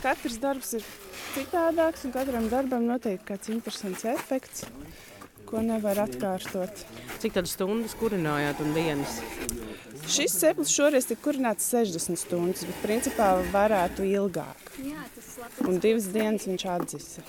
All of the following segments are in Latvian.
katrs darbs ir citādāks un katram darbam notiek kāds interesants efekts, ko nevar atkārtot. Cik tad stundas kurinājāt un dienas? Šis ceplis šoreiz tika kurināts 60 stundas, bet principā varētu ilgāk. Un 2 dienas viņš atzisa.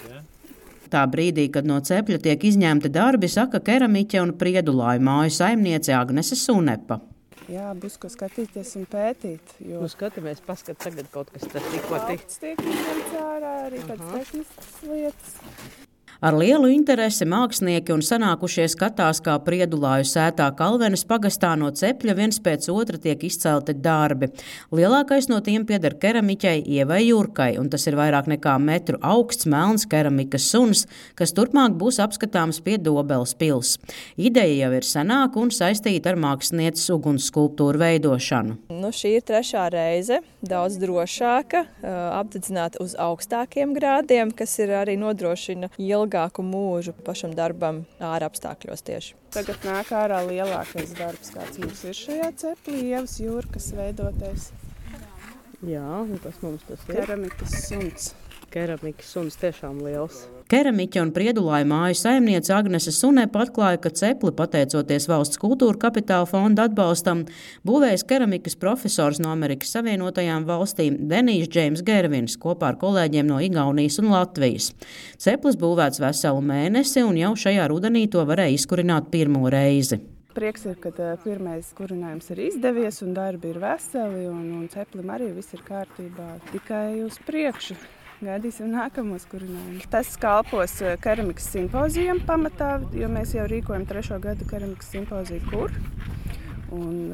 Tā brīdī, kad no cepļa tiek izņemti darbi, saka keramiķe un Priedulāju māju saimniece Agnese Sunepa. Jā, būs ko skatīties un pētīt. Jo Skatāmies, paskat tagad kaut kas tas tikko tiek izņemts ārā, arī kāds tehniskas lietas. Ar lielu interesi mākslinieki un sanākušie skatās, kā Priedulāju sētā Kalvenes pagastā no cepļa viens pēc otra tiek izcelti darbi. Lielākais no tiem pieder keramiķei Ievai Jurkai, un tas ir vairāk nekā metru augsts melns keramikas suns, kas turpmāk būs apskatāms pie Dobeles pils. Ideja jau ir senāka un saistīta ar mākslinieces uguns skulptūru veidošanu. Šī ir 3. reize, daudz drošāka, apdedzināta uz augstākiem grādiem, kas ir arī nodrošina ilgāku mūžu pašam darbam ārapstākļos tieši. Tagad nāk ārā lielākais darbs, kāds mums ir šajā ceplī, Ievas Jurkas veidotais. Jā, un kas mums tas ir? Keramikas suns. Keramikas suns tiešām liels. Keramiķe un Priedulāju māju saimniece Agnese Sunepa atklāja, ka cepli, pateicoties Valsts kultūra kapitāla fonda atbalstam, būvējis keramikas profesors no Amerikas Savienotajām valstīm Denijs Džeims Gervins kopā ar kolēģiem no Igaunijas un Latvijas. Ceplis būvēts veselu mēnesi un jau šajā rudenī to varēja izkurināt pirmo reizi. Prieks ir, ka pirmais kurinājums ir izdevies un darbi ir veseli un ceplim arī viss ir kārtībā. Tikai uz priekšu. Gaidīsim nākamos kurinājumus. Tas kalpos keramikas simpozijam pamatā, jo mēs jau rīkojam 3. gadu keramikas simpoziju kur. Un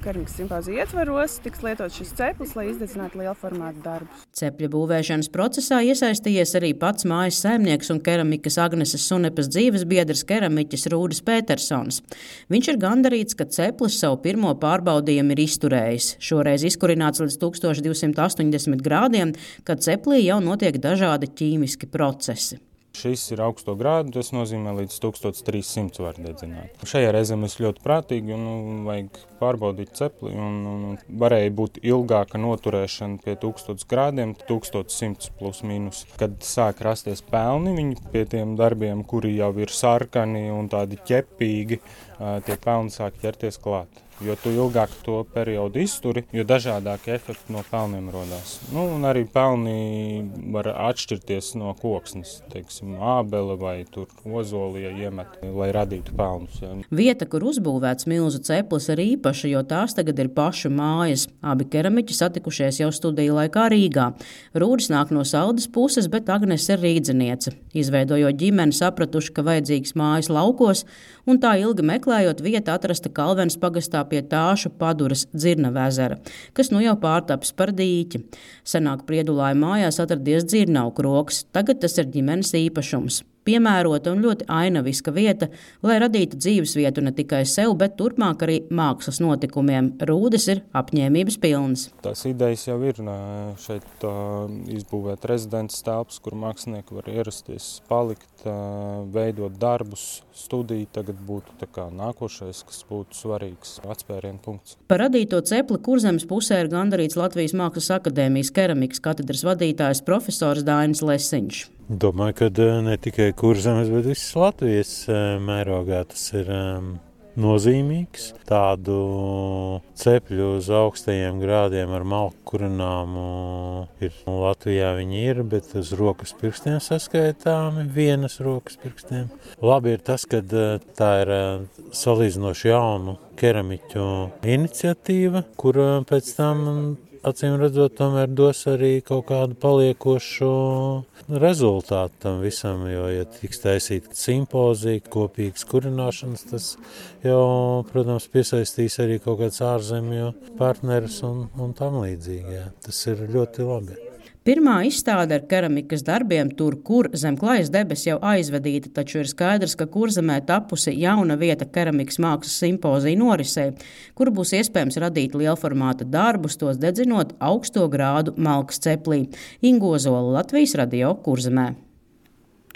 keramikas simpoziju ietvaros tiks lietot šis ceplis, lai izdedzinātu liela formāta darbus. Cepļa būvēšanas procesā iesaistījies arī pats mājas saimnieks un keramikas Agneses Sunepas dzīves biedrs keramiķis Rūdis Petersons. Viņš ir gandarīts, ka ceplis savu pirmo pārbaudījumu ir izturējis. Šoreiz izkurināts līdz 1280 grādiem, kad ceplī jau notiek dažādi ķīmiski procesi. Šis ir augsto grādu, tas nozīmē līdz 1300 var dedzināt. Šajā reizē mēs ļoti prātīgi un vajag pārbaudīt cepli un varēja būt ilgāka noturēšana pie 1000 grādiem, 1100 plus mīnus. Kad sāk rasties pelni, viņi pie tiem darbiem, kuri jau ir sarkani un tādi ķepīgi, tie pelni sāk ķerties klāt. Jo tu ilgāk to periodu izturi, jo dažādākie efekti no pelniem rodās. Un arī pelni var atšķirties no koksnes, teiksim, ābele vai tur ozolija iemet, lai radītu pelnus. Ja. Vieta, kur uzbūvēts milzu ceplis, ir īpaša, jo tās tagad ir pašu mājas. Abi keramiķi satikušies jau studiju laikā Rīgā. Rūdis nāk no Saldas puses, bet Agnes ir rīdziniece. Izveidojot ģimeni, sapratuši, ka vajadzīgs mājas laukos, un tā ilgi meklējot vietu atrasta Kalvenes pagastā pie Tāšu Paduras Dzirnava ezera, kas nu jau pārtaps par dīķi. Senāk Priedulāju mājās atradies dzirnavu krogs, tagad tas ir ģimenes īpašums. Piemērota un ļoti ainaviska vieta, lai radītu dzīvesvietu ne tikai sev, bet turpmāk arī mākslas notikumiem. Rūdis ir apņēmības pilns. Tās idejas jau ir šeit izbūvēt rezidents telpas, kur mākslinieki var ierasties, palikt, veidot darbus, studiju. Tagad būtu tā kā nākošais, kas būtu svarīgs atspērienu punkts. Par radīto cepli Kurzemes pusē ir gandarīts Latvijas Mākslas akadēmijas keramikas katedras vadītājs profesors Dainis Lesiņš. Domāju, ka ne tikai Kurzemes, bet visas Latvijas mērogā tas ir nozīmīgs. Tādu cepļu uz augstajiem grādiem ar malku kurināmu ir. Latvijā viņi ir, bet uz rokas pirkstiem saskaitāmi, vienas rokas pirkstiem. Labi ir tas, ka tā ir salīdzinoši jaunu keramiķu iniciatīva, kur pēc tam acīm redzot, tomēr dos arī kaut kādu paliekošu rezultātu tam visam, jo, ja tiks taisīta simpozija, kopīgas kurināšanas, tas jau, protams, piesaistīs arī kaut kāds ārzemju partnerus un tam līdzīgi. Jā. Tas ir ļoti labi. Pirmā izstāde ar keramikas darbiem tur, kur zem klajas debes jau aizvedīta, taču ir skaidrs, ka Kurzemē tapusi jauna vieta keramikas mākslas simpozija norisē, kur būs iespējams radīt lielformāta darbus, tos dedzinot augsto grādu malkas ceplī. Inga Ozola, Latvijas Radio, Kurzemē.